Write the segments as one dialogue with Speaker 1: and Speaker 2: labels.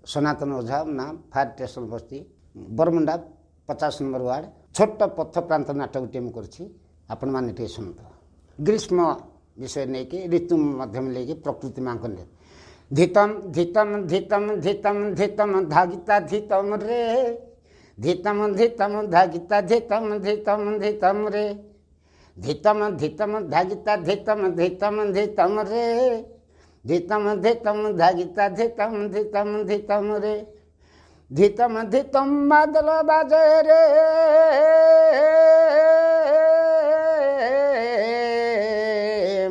Speaker 1: ସନାତନ ଓଝା, ନାଁ fire station ବସ୍ତି, Baramunda 50 number ward. ଛୋଟ ପଥ ପ୍ରାନ୍ତ ନାଟକଟିଏ ମୁଁ କରିଛି, ଆପଣମାନେ ଟିକେ ଶୁଣନ୍ତୁ। ଗ୍ରୀଷ୍ମ ବିଷୟ ନେଇକି, ଋତୁ ମାଧ୍ୟମ ନେଇକି, ପ୍ରକୃତି ମାଙ୍କ ନେଇ। ଧିତମ ଧିତମ ଧିତମ ଧିତମ ଧିତମ ଧାଗିତା ଧିତମ ରେ, ଧିତମ ଧିତମ ଧାଗିତା ଧିତମ ଧିତମ ଧିତମ ରେ, ଧିତମ ଧିତମ ଧାଗିତା ଧିତମ ଧିତମ ଧିତମ ରେ, ଧିତମ ଧିତମ ଧାଗିତା ଧିତମ ଧିତମ ଧିତମ ରେ, ଧିତମ ଧିତମ ମାଦଲ ବାଜେ ରେ,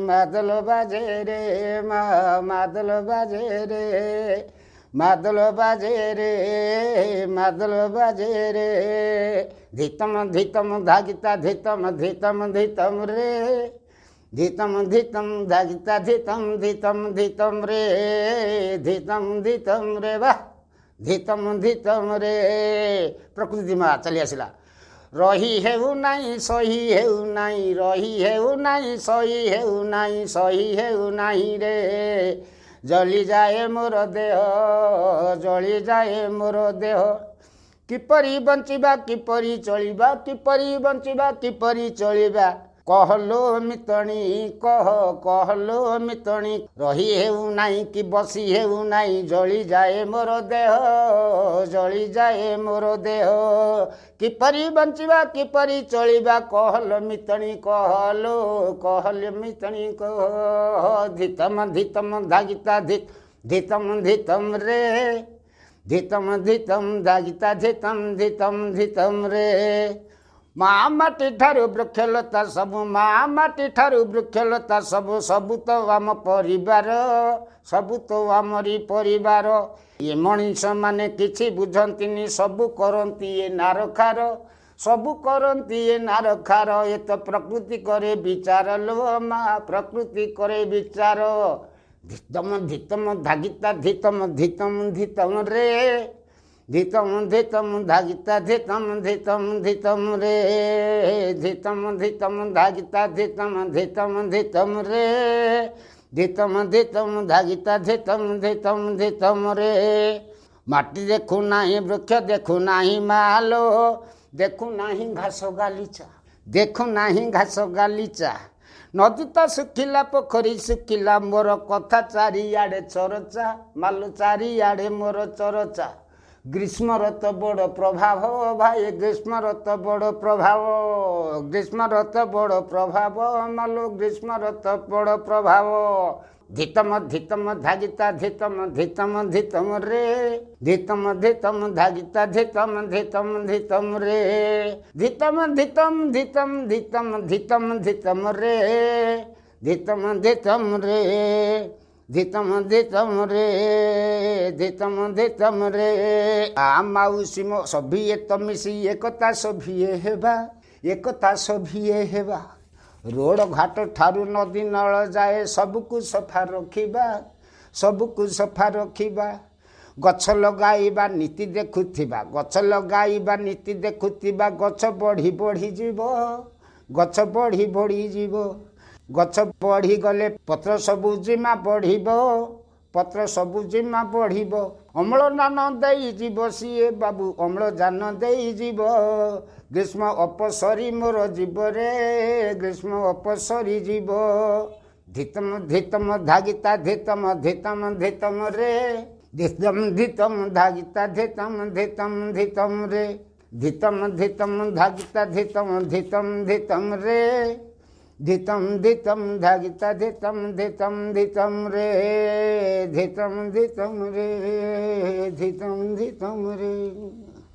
Speaker 1: ମାଦଲ ବାଜେ ରେ ମା, ମାଦଲ ବାଜେ ରେ, ମାଦଲ ବାଜେ ରେ, ମାଦଲ ବାଜେ ରେ, ଧିତମ ଧିତମ ଧାଗିତା ଧିତମ ଧିତମ ଧିତମ ରେ, ଧିତମ ଧିତମ ଧାଗିତା ଧିତମ ଧିତମ ଧିତମ ରେ, ଧିତମ ଧିତମ ରେ ବା, ଧିତମ ଧିତମ ରେ। ପ୍ରକୃତି ମା ଚାଲି ଆସିଲା। ରହି ହେଉ ନାହିଁ, ସହି ହେଉ ନାହିଁ, ରହି ହେଉ ନାହିଁ, ସହି ହେଉ ନାହିଁ, ସହି ହେଉ ନାହିଁ ରେ, ଜଳିଯାଏ ମୋର ଦେହ, ଜଳିଯାଏ ମୋର ଦେହ। କିପରି ବଞ୍ଚିବା, କିପରି ଚଳିବା, କିପରି ବଞ୍ଚିବା, କିପରି ଚଳିବା, କହଲୋ ମିତଣୀ କହ, କହଲୋ ମିତଣୀ। ରହି ହେଉ ନାହିଁ କି ବସି ହେଉ ନାହିଁ, ଜଳିଯାଏ ମୋର ଦେହ, ଜଳିଯାଏ ମୋର ଦେହ। କିପରି ବଞ୍ଚିବା, କିପରି ଚଳିବା, କହଲ ମିତଣୀ କହଲୋ, କହଲ ମିତଣୀ କହ। ଧିତମ ଧିତମ ଧାଗିତା ଧିତମ ଧିତମ ରେ, ଧିତମ ଧିତମ ଧାଗିତା ଧିତମ ଧିତମ ଧିତମ ରେ। ମା ମାଟି ଠାରୁ ବୃକ୍ଷଲତା ସବୁ, ମା ମାଟି ଠାରୁ ବୃକ୍ଷଲତା ସବୁ, ସବୁ ତ ଆମ ପରିବାର, ସବୁ ତ ଆମରି ପରିବାର। ଏ ମଣିଷମାନେ କିଛି ବୁଝନ୍ତିନି, ସବୁ କରନ୍ତି ଏ ନାରଖାର, ସବୁ କରନ୍ତି ଏ ନାରଖାର। ଏ ତ ପ୍ରକୃତି କରେ ବିଚାର ଲୋ ମା, ପ୍ରକୃତି କରେ ବିଚାର। ଧିତମ ଧିତମ ଧାଗିତା ଧିତମ ଧିତମ ଧିତମ ରେ, ଧିତମ ଧିତମ ଧାଗିତା ଧିତମ ଧିତମ ଧିତମ ରେ, ଧିତମ ଧିତମ ଧାଗିତା ଧିତମ ଧିତମ ଧିତମ ରେ, ଧିତମ ଧିତମ ଧାଗିତା ଧିତମ ଧିତମ ଧିତମ ରେ। ମାଟି ଦେଖୁ ନାହିଁ, ବୃକ୍ଷ ଦେଖୁ ନାହିଁ ମାଲୋ, ଦେଖୁ ନାହିଁ ଘାସ ଗାଲିଚା, ଦେଖୁ ନାହିଁ ଘାସ ଗାଲିଚା। ନଦୀ ତ ଶୁଖିଲା, ପୋଖରୀ ଶୁଖିଲା, ମୋର କଥା ଚାରିଆଡ଼େ ଚରଚା ମାଲୋ, ଚାରିଆଡ଼େ ମୋର ଚରଚା। ଗ୍ରୀଷ୍ମର ତ ବଡ଼ ପ୍ରଭାବ ଭାଇ, ଗ୍ରୀଷ୍ମର ତ ବଡ଼ ପ୍ରଭାବ, ଗ୍ରୀଷ୍ମର ତ ବଡ଼ ପ୍ରଭାବ ମାଲୋ, ଗ୍ରୀଷ୍ମର ତ ବଡ଼ ପ୍ରଭାବ। ଧିତମ ଧିତମ ଧାଗିତା ଧିତମ ଧିତମ ଧିତମ ରେ, ଧିତମ ଧିତମ ଧାଗିତା ଧିତମ ଧିତମ ଧିତମ ରେ, ଧିତମ ଧିତମ ଧିତମ ଧିତମ ଧିତମ ଧିତମ ରେ, ଧିତମ ଧିତମ ରେ, ଧିତମ ଧିତମ ରେ, ଧିତମ ଧିତମ ରେ। ଆ ମାଉସୀ ମୋ ସଭିଏ ତ ମିଶି ଏକତା ସଭିଏ ହେବା, ଏକତା ସଭିଏ ହେବା। ରୋଡ଼ ଘାଟ ଠାରୁ ନଦୀ ନଳ ଯାଏ ସବୁକୁ ସଫା ରଖିବା, ସବୁକୁ ସଫା ରଖିବା। ଗଛ ଲଗାଇବା ନୀତି ଦେଖୁଥିବା, ଗଛ ଲଗାଇବା ନୀତି ଦେଖୁଥିବା, ଗଛ ବଢ଼ି ବଢ଼ିଯିବ, ଗଛ ବଢ଼ି ବଢ଼ିଯିବ। ଗଛ ବଢ଼ିଗଲେ ପତ୍ର ସବୁଜିମା ବଢ଼ିବ, ପତ୍ର ସବୁଜିମା ବଢ଼ିବ। ଅମ୍ଳଜାନ ଦେଇଯିବ ସିଏ ବାବୁ, ଅମ୍ଳଜାନ ଦେଇଯିବ। ଗ୍ରୀଷ୍ମ ଅପସରି ମୋର ଯିବରେ, ଗ୍ରୀଷ୍ମ ଅପସରି ଯିବ। ଧିତମ ଧିତମ ଧାଗିତା ଧିତମ ଧିତମ ଧିତମ ରେ, ଧିତମ ଧିତମ ଧାଗିତା ଧିତମ ଧିତମ ଧିତମ ରେ, ଧିତମ ଧିତମ ଧାଗିତା ଧିତମ ଧିତମ ଧିତମ ରେ, ଧିତମ ଧିତମ ଧାଗିତା ଧିତମ ଧିତମ ଧିତମ ରେ, ଧିତମ ଧିତମ ରେ, ଧିତମ ଧିତମ ରେ।